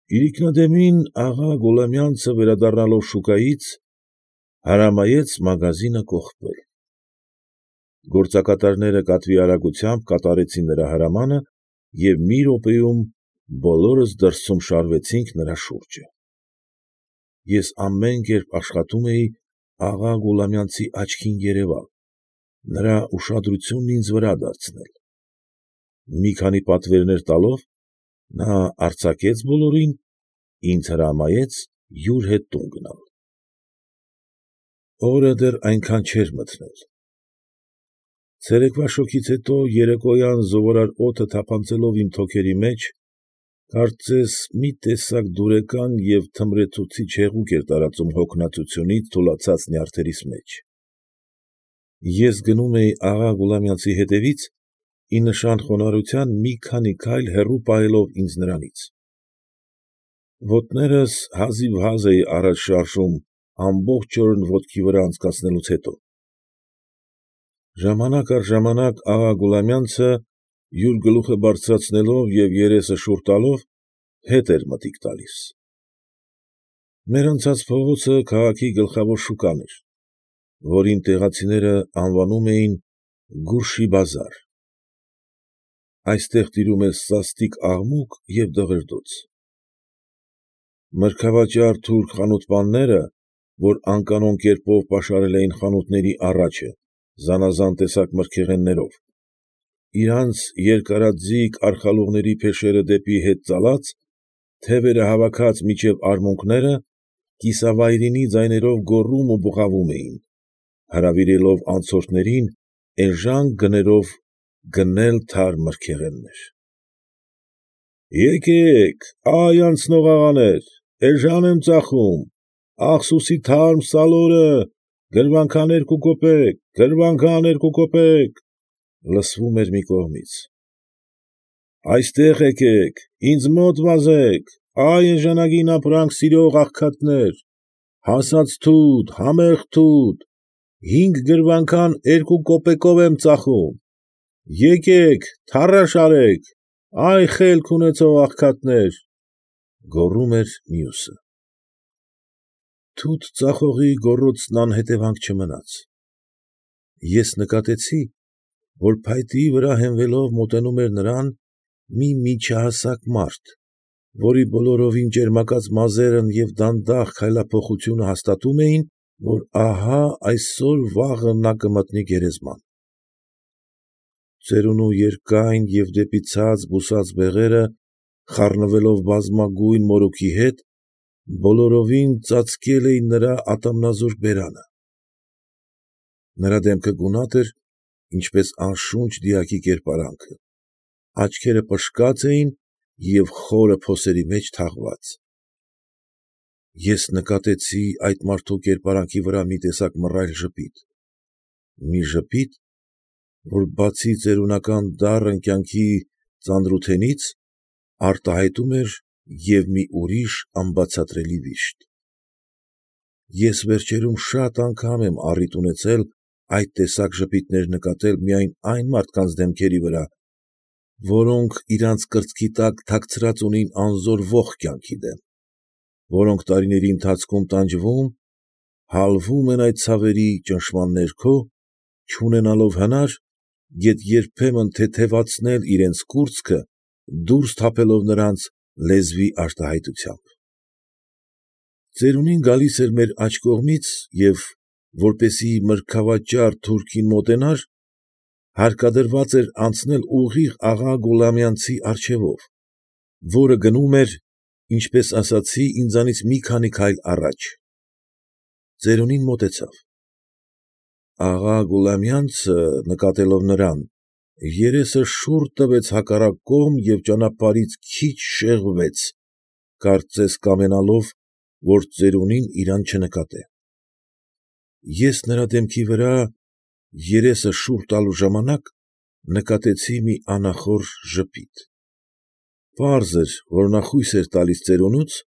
Իրիկնադեմին աղա Գուլամյանցը վերադառնալով շուկայից, հրամայեց մագազինը կողպել։ Գործակատարները կատվի արագությամբ կատարեցին նրա հրամանը և մի րոպեում բոլորս դրսում շարվեցինք նրա շուրջը։ Ես ամեն կերպ աշխատում էի աղա Գուլամյանցի աչքին երևալ, նրա ուշադրությունն ինձ վրա դարձնել։ Մի քանի պատվերներ տալով, նա արձակեց բոլորին, ինձ հրամայեց յուր հետ տուն գնալ։ Օրը դեռ այնքան չէր մթնել։ Ցերեկվա շոգից հետո երեկոյան զովարար օդը թափանցելով իմ թոքերի մեջ, կարծես մի տեսակ դուրեկան և թմրեցուցիչ հեղուկ էր տարածում հոգնածությունից թուլացած նյարդերիս մեջ։ Ես գնում էի աղա Գուլամյանցի հետևից, ի նշան խոնարհության մի քանի քայլ հեռու պահելով ինձ նրանից։ Ոտներս հազիվհազ էի առաջ շարժում ամբողջ օրն ոտքի վրա անցկացնելուց հետո։ Ժամանակ առ ժամանակ աղա Գուլամյանցը, յուր գլուխը բարձրացնելով և երեսը շուռ տալով, հետ էր մտիկ տալիս։ Մեր անցած փողոցը քաղաքի գլխավոր շուկան էր, որին տեղացիները անվանում էին Գուրջի֊բազար։ Այստեղ տիրում էր սաստիկ աղմուկ և դղրդոց։ Մրգավաճառ թուրք խանութպանները, որ անկանոն կերպով պաշարել էին խանութների առաջը զանաղան տեսակ մրգեղեններով, իրանց երկարաձիգ արխալուղների փեշերը դեպի հետ ծալած, թևերը հավաքած մինչև արմունկները, կիսավայրինի ձայներով գոռում ու բղավում էին, հրավիրելով անցորդներին էժան գներով գնել թարմ մրգեղեններ։ Եկեք, ա՛յ անցնող աղաներ, էժան եմ ծախում, Ախսուի թարմ սալորը, գրվանքան 2 կոպեկ, գրվանքան 2 կոպեկ, լսվում էր մի կողմից։ Այստեղ եկեք, ինձ մոտ վազեք, ա՛յ էժանագին ապրանք սիրող աղքատներ, հասած թութ, համեղ թութ, 5 գրվանքան 2 կոպեկով եմ ծախում, եկեք, թառաշ արեք, ա՛յ խելք ունեցող աղքատներ, ֊ գոռում էր մյուսը։ Թութ ծախողի գոռոցն անհետևանք չմնաց։ Ես նկատեցի, որ փայտի վրա հենվելով մոտենում էր նրան մի միջահասակ մարդ, որի բոլորովին ճերմակած մազերն և դանդաղ քայլափոխությունը հաստատում էին, որ ահա այսօր֊վաղը նա կմտնի գերեզման։ Ծերունու երկայն և դեպի ցած բուսած բեղերը, խառնվելով բամբակագույն մորուքի հետ, բոլորովին ծածկել էին նրա ատամնազուրկ բերանը։ Նրա դեմքը գունատ էր, ինչպես անշունչ դիակի կերպարանքը, աչքերը պշկած էին և խորը փոսերի մեջ թաղված։ Ես նկատեցի այդ մարդու կերպարանքի վրա մի տեսակ մռայլ ժպիտ, մի ժպիտ, որ բացի ծերունական դառն կյանքի ծանրութենից, արտահայտում էր և մի ուրիշ անբացատրելի վիշտ։ Ես վերջերում շատ անգամ եմ առիթ ունեցել այդ տեսակ ժպիտներ նկատել միայն այն մարդկանց դեմքերի վրա, որոնք իրանց կրծքի տակ թաքցրած ունին անզոր ոխ կյանքի դեմ, որոնք տարիների ընթացքում տանջվում, հալվում են այդ ցավերի ճնշման ներքո, չունենալով հնար, գեթ երբեմն թեթևացնել իրենց կուրծքը, դուրս թափելով նրանց լեզվի արտահայտությամբ։ Ծերունին գալիս էր մեր աջ կողմից և, որպեսզի մրգավաճառ թուրքին մոտենար, հարկադրված էր անցնել ուղիղ աղա Գուլամյանցի առջևով, որը գնում էր, ինչպես ասացի, ինձանից մի քանի քայլ առաջ։ Ծերունին մոտեցավ։ Աղա Գուլամյանցը, նկատելով նրան, երեսը շուռ տվեց հակառակ կողմ և ճանապարհից քիչ շեղվեց, կարծես կամենալով, որ ծերունին իրան չնկատե։ Ես նրա դեմքի վրա, երեսը շուռ տալու ժամանակ, նկատեցի մի անախորժ ժպիտ։ Պարզ էր, որ նա խույս էր տալիս ծերունուց,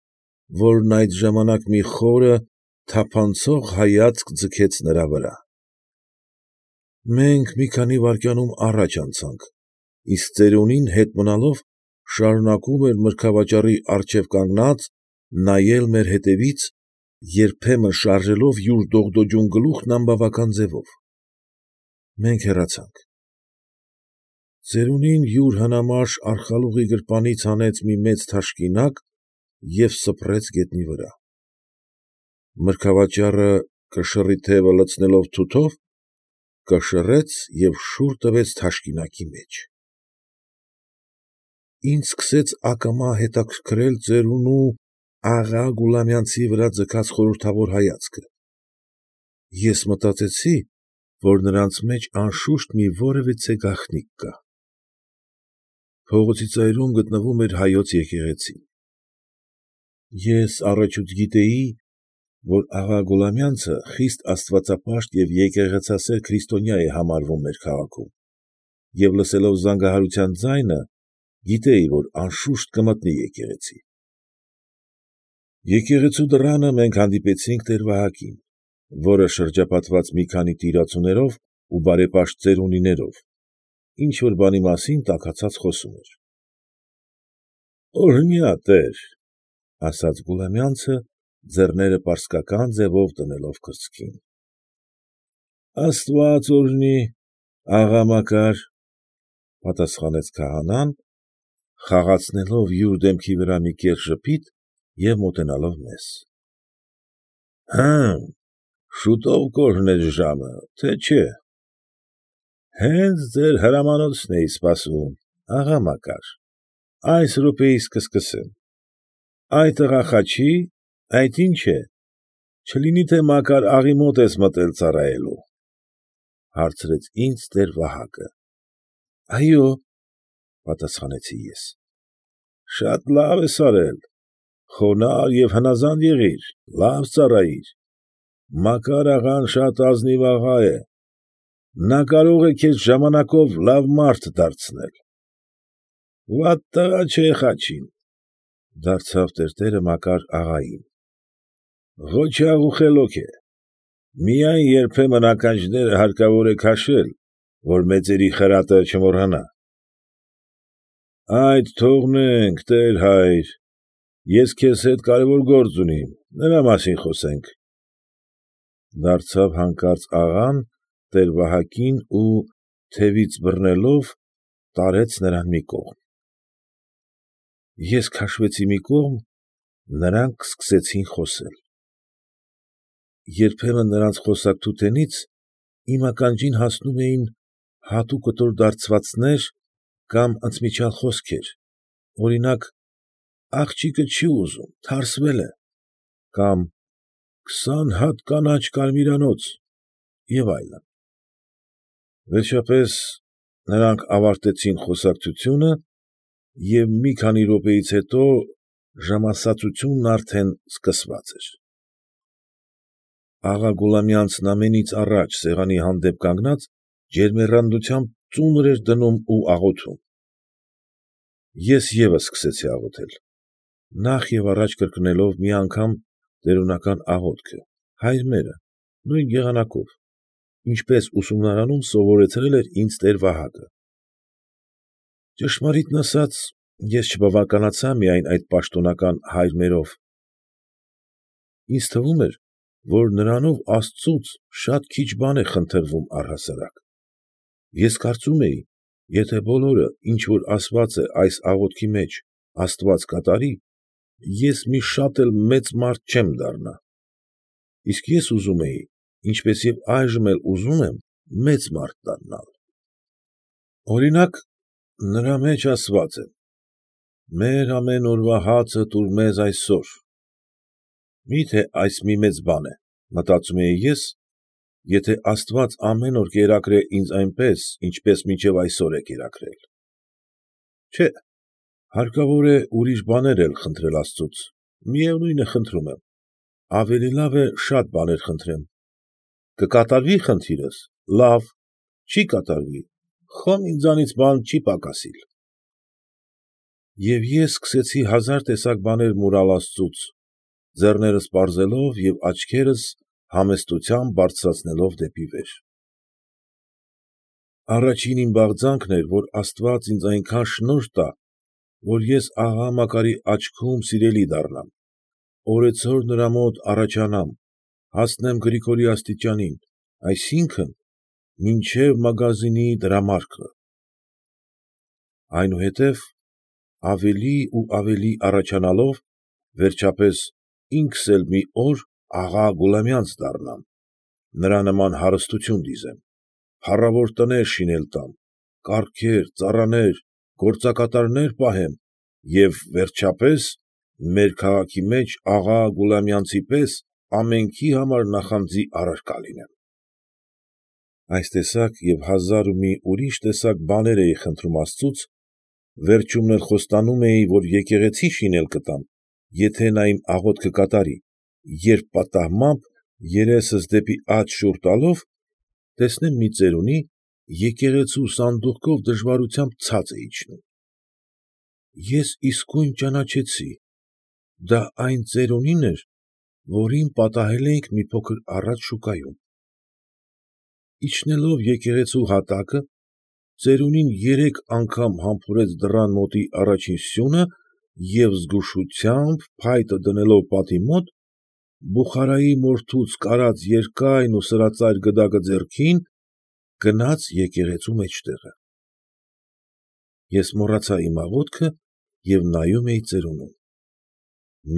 որն այդ ժամանակ մի խորը, թափանցող հայացք ձգեց նրա վրա։ Մենք մի քանի վայրկյանում առաջ անցանք, իսկ ծերունին հետ մնալով շարունակում էր մրգավաճառի առջև կանգնած նայել մեր հետևից, երբեմն շարժելով յուր դողդոջուն գլուխն անբավական ձևով։ Մենք հեռացանք։ Ծերունին յուր հնամաշ արխալուղի գրպանից հանեց մի մեծ թաշկինակ և սփռեց գետնի վրա։ Մրգավաճառը, կշռի թևը լցնելով թութով, կշռեց և շուռ տվեց թաշկինակի մեջ։ Ինձ սկսեց ակամա հետաքրքրել ծերունու աղա Գուլամյանցի վրա ձգած խորհրդավոր հայացքը։ Ես մտածեցի, որ նրանց մեջ անշուշտ մի որևիցե գաղտնիք կա։ Փողոցի ծայրում գտնվում էր հայոց եկեղեցին։ Ես առաջուց գիտեի, որ աղա Գուլամյանցը խիստ աստվածապաշտ և եկեղեցասեր քրիստոնյա է համարվում մեր քաղաքում, և լսելով զանգահարության ձայնը, գիտեի, որ անշուշտ կմտնի եկեղեցի։ Եկեղեցու դռանը մենք հանդիպեցինք տեր֊Վահակին, որը շրջապատված մի քանի տիրացուներով ու բարեպաշտ ծերունիներով, ինչ֊որ բանի մասին տաքացած խոսում էր։ ֊ Օրհնյա տեր, ֊ ասաց Գուլամյանցը, ձեռները պարսկական ձևով դնելով կրծքին։ ֊ Աստված օրհնի, աղա Մակար, ֊ պատասխանեց քահանան, խաղացնելով յուր դեմքի վրա մի կեղծ ժպիտ և մոտենալով մեզ։ ֊ Հըմ, շուտով կօրհնես ժամը, թե չէ։ ֊ Հենց ձեր հրամանոցն էի սպասում, աղա Մակար, այս րոպեիս կսկսեմ։ ֊ Այդ տղա Խաչի, այդ ի՞նչ է, չլինի թե Մակար աղայի մոտ ես մտել ծառայելու, ֊ հարցրեց ինձ տեր֊Վահակը։ ֊ Այո, ֊ պատասխանեցի ես։ ֊ Շատ լավ ես արել, խոնարհ և հնաղանդ եղիր, լավ ծառայիր, Մակար աղան շատ ազնիվ աղա է, նա կարող է քեզ ժամանակով լավ մարդ դարձնել։ ֊ Վատ տղա չէ Խաչին, ֊ դարձավ տերտերը Մակար աղային, ֊ ղոչաղ ու խելոք է, միայն երբեմն ականջները հարկավոր է քաշել, որ մեծերի խրատը չմոռանա։ ֊ Այդ թողնենք, տեր֊հայր, ես քեզ հետ կարևոր գործ ունիմ, նրա մասին խոսենք, ֊ դարձավ հանկարծ աղան տեր֊Վահակին ու, թևից բռնելով, տարեց նրան մի կողմ։ Ես քաշվեցի մի կողմ, նրանք սկսեցին խոսել։ Երբեմն նրանց խոսակցութենից իմ ականջին հասնում էին հատուկտուր դարձվածներ կամ ընդմիջյալ խոսքեր, օրինակ, աղջիկը չի ուզում, թարսվել է, կամ քսան հատ կանաչ կարմիրանոց և այլն։ Վերջապես նրանք ավարտեցին խոսակցությունը և մի քանի րոպեից հետո ժամասացությունն արդեն սկսված էր։ Աղա Գուլամյանցն ամենից առաջ սեղանի հանդեպ կանգնած ջերմեռանդությամբ ծունր էր դնում ու աղոթում։ Ես ևս սկսեցի աղոթել, նախ և առաջ կրկնելով մի անգամ տերունական աղոթքը, «Հայր մերը», նույն եղանակով, ինչպես ուսումնարանում սովորեցրել էր ինձ տեր֊Վահակը։ Ճշմարիտն ասած, ես չբավականացա միայն այդ պաշտոնական «Հայր մերով»։ Ինձ թվում էր, որ նրանով աստծուց շատ քիչ բան է խնդրվում առհասարակ։ Ես կարծում էի, եթե բոլորը, ինչ որ ասված է այս աղոթքի մեջ, աստված կատարի, ես մի շատ էլ մեծ մարդ չեմ դառնա, իսկ ես ուզում էի, ինչպես և այժմ էլ ուզում եմ, մեծ մարդ դառնալ։ Օրինակ, նրա մեջ ասված է. «Մեր ամեն օրվա հացը տուր մեզ այսօր»։ Մի՞թե այս մի մեծ բան է, մտածում էի ես, եթե աստված ամեն օր կերակրե ինձ այնպես, ինչպես մինչև այսօր է կերակրել։ Չէ՛, հարկավոր է ուրիշ բաներ էլ խնդրել աստծուց, միևնույն է խնդրում եմ, ավելի լավ է շատ բաներ խնդրեմ։ Կկատարվի խնդիրս, լավ, չի կատարվի, խոմ ինձանից բան չի պակասիլ։ Եվ ես սկսեցի հազար տեսակ բաներ մուրալ աստծուց, ձեռներս պարզելով և աչքերս համեստությամբ բարձրացնելով դեպի վեր։ Առաջին իմ բաղձանքն էր, որ աստված ինձ այնքան շնորհ տա, որ ես աղա Մակարի աչքում սիրելի դառնամ, օրեցօր նրա մոտ առաջանամ, հասնեմ Գրիգորի աստիճանին, այսինքն՝ մինչև մագազինի դրամարկղը։ Այնուհետև ավելի ու ավելի առաջանալով, վերջապես ինքս էլ մի օր աղա Գուլամյանց դառնամ, նրա նման հարստություն դիզեմ, փառավոր տներ շինել տամ, կառքեր, ծառաներ, գործակատարներ պահեմ և, վերջապես, մեր քաղաքի մեջ աղա Գուլամյանցի պես ամենքի համար նախանձի առարկա լինեմ։ Այս տեսակ և հազար ու մի ուրիշ տեսակ բաներ էի խնդրում աստծուց, վերջումն էլ խոստանում էի, որ եկեղեցի շինել կտամ, եթե նա իմ աղոթքը կատարի, երբ պատահմամբ, երեսս դեպի աջ շուռ տալով, տեսնեմ մի ծերունի եկեղեցու սանդուղքով դժվարությամբ ցած է իջնում։ Ես իսկույն ճանաչեցի, դա այն ծերունին էր, որին պատահել էինք մի փոքր առաջ շուկայում։ Իջնելով եկեղեցու հատակը, ծերունին 3 անգամ համբուրեց դռան մոտի առաջին սյունը և զգուշությամբ, փայտը դնելով պատի մոտ, բուխարայի մորթուց կարած երկայն ու սրածայր գդակը ձեռքին, գնաց եկեղեցու մեջտեղը։ Ես մոռացա իմ աղոթքը և նայում էի ծերունուն։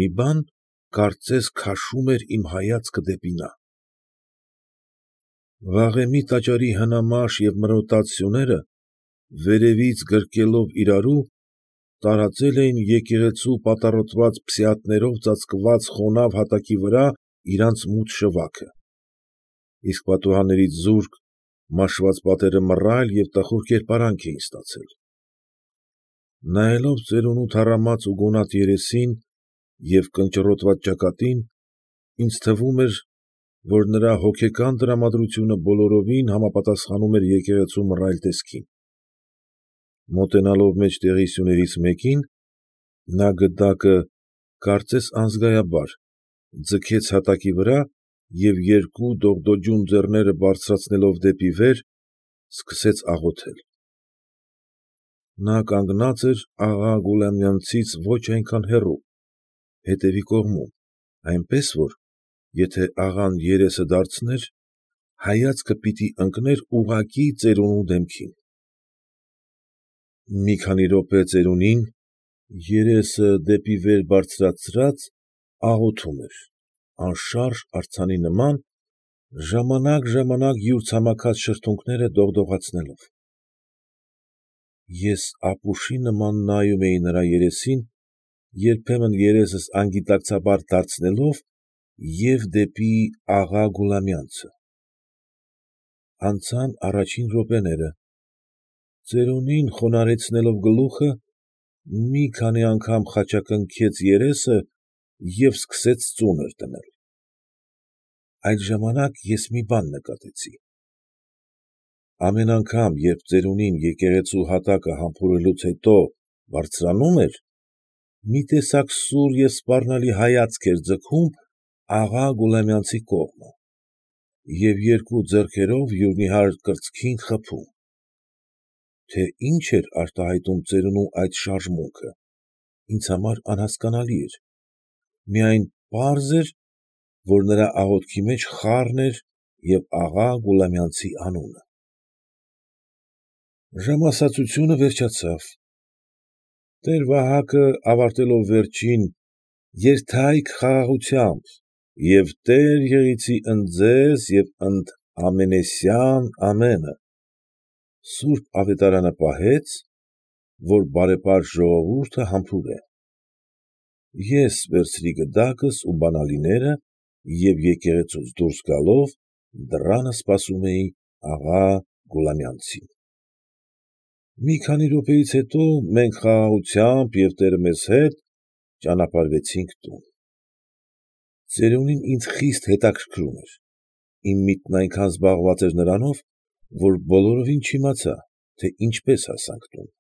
Մի բան կարծես քաշում էր իմ հայացքը դեպի նա։ Վաղեմի տաճարի հնամաշ և մրոտած սյուները, վերևից գրկելով իրարու, տարածել էին եկեղեցու պատառոտված փսիաթներով ծածկված խոնավ հատակի վրա իրանց մութ շվաքը, իսկ պատուհաններից զուրկ, մաշված պատերը մռայլ և տխուր կերպարանք էին ստացել։ Նայելով ծերունու թառամած ու գունատ երեսին և կնճռոտված ճակատին, ինձ թվում էր, որ նրա հոգեկան տրամադրությունը բոլորովին համապատասխանում էր եկեղեցու մռայլ տեսքին։ Մոտենալով մեջտեղի սյուներից մեկին, նա գդակը, կարծես անզգայաբար, ձգեց հատակի վրա և երկու դողդոջուն ձեռները բարձրացնելով դեպի վեր, սկսեց աղոթել։ Նա կանգնած էր աղա Գուլամյանցից ոչ այնքան հեռու, հետևի կողմում, այնպես որ, եթե աղան երեսը դարձներ, հայացքը պիտի ընկներ ուղղակի ծերունու դեմքին։ Մի քանի րոպե ծերունին, երեսը դեպի վեր բարձրացրած, աղոթում էր, անշարժ արձանի նման, ժամանակ յուր ցամաքած շրթունքները դողդողացնելով։ Ես ապուշի նման նայում էի նրա երեսին, երբեմն երեսս անգիտակցաբար դարձնելով և դեպի աղա Գուլամյանցը։ Անցան առաջին րոպեները, ծերունին խոնարհեցնելով գլուխը, մի քանի անգամ խաչակնքեց երեսը և սկսեց ծունր դնել։ Այդ ժամանակ ես մի բան նկատեցի. ամեն անգամ, երբ ծերունին եկեղեցու հատակը համբուրելուց հետո բարձրանում էր, մի տեսակ սուր և սպառնալի հայացք էր ձգում աղա Գուլամյանցի կողմը և երկու ձեռքերով յուր նիհար կրծքին խփում։ Թե ինչ էր արտահայտում ծերունու այդ շարժմունքը, ինձ համար անհասկանալի էր, միայն պարզ էր, որ նրա աղոթքի մեջ խառն էր և աղա Գուլամյանցի անունը։ Ժամասացությունը վերջացավ։ Տեր֊Վահակը, ավարտելով վերջին «Երթայք խաղաղությամբ» և «Տեր եղիցի ընդ ձեզ և ընդ ամենեսյան ամենը» սուրբ ավետարանը պահեց, որ բարեպաշտ ժողովուրդը համբուրե։ Ես վերցրի գդակս ու բանալիները և եկեղեցուց դուրս գալով դռանը սպասում էի աղա Գուլամյանցին։ Մի քանի րոպեից հետո մենք խաղաղությամբ և տերը մեզ հետ ճանապարհվեցինք տուն։ Ծերունին ինձ խիստ հետաքրքրում էր, իմ միտքն այնքան զբաղված էր նրանով, որ բոլորովին չիմացա, թե ինչպես հասանք տուն։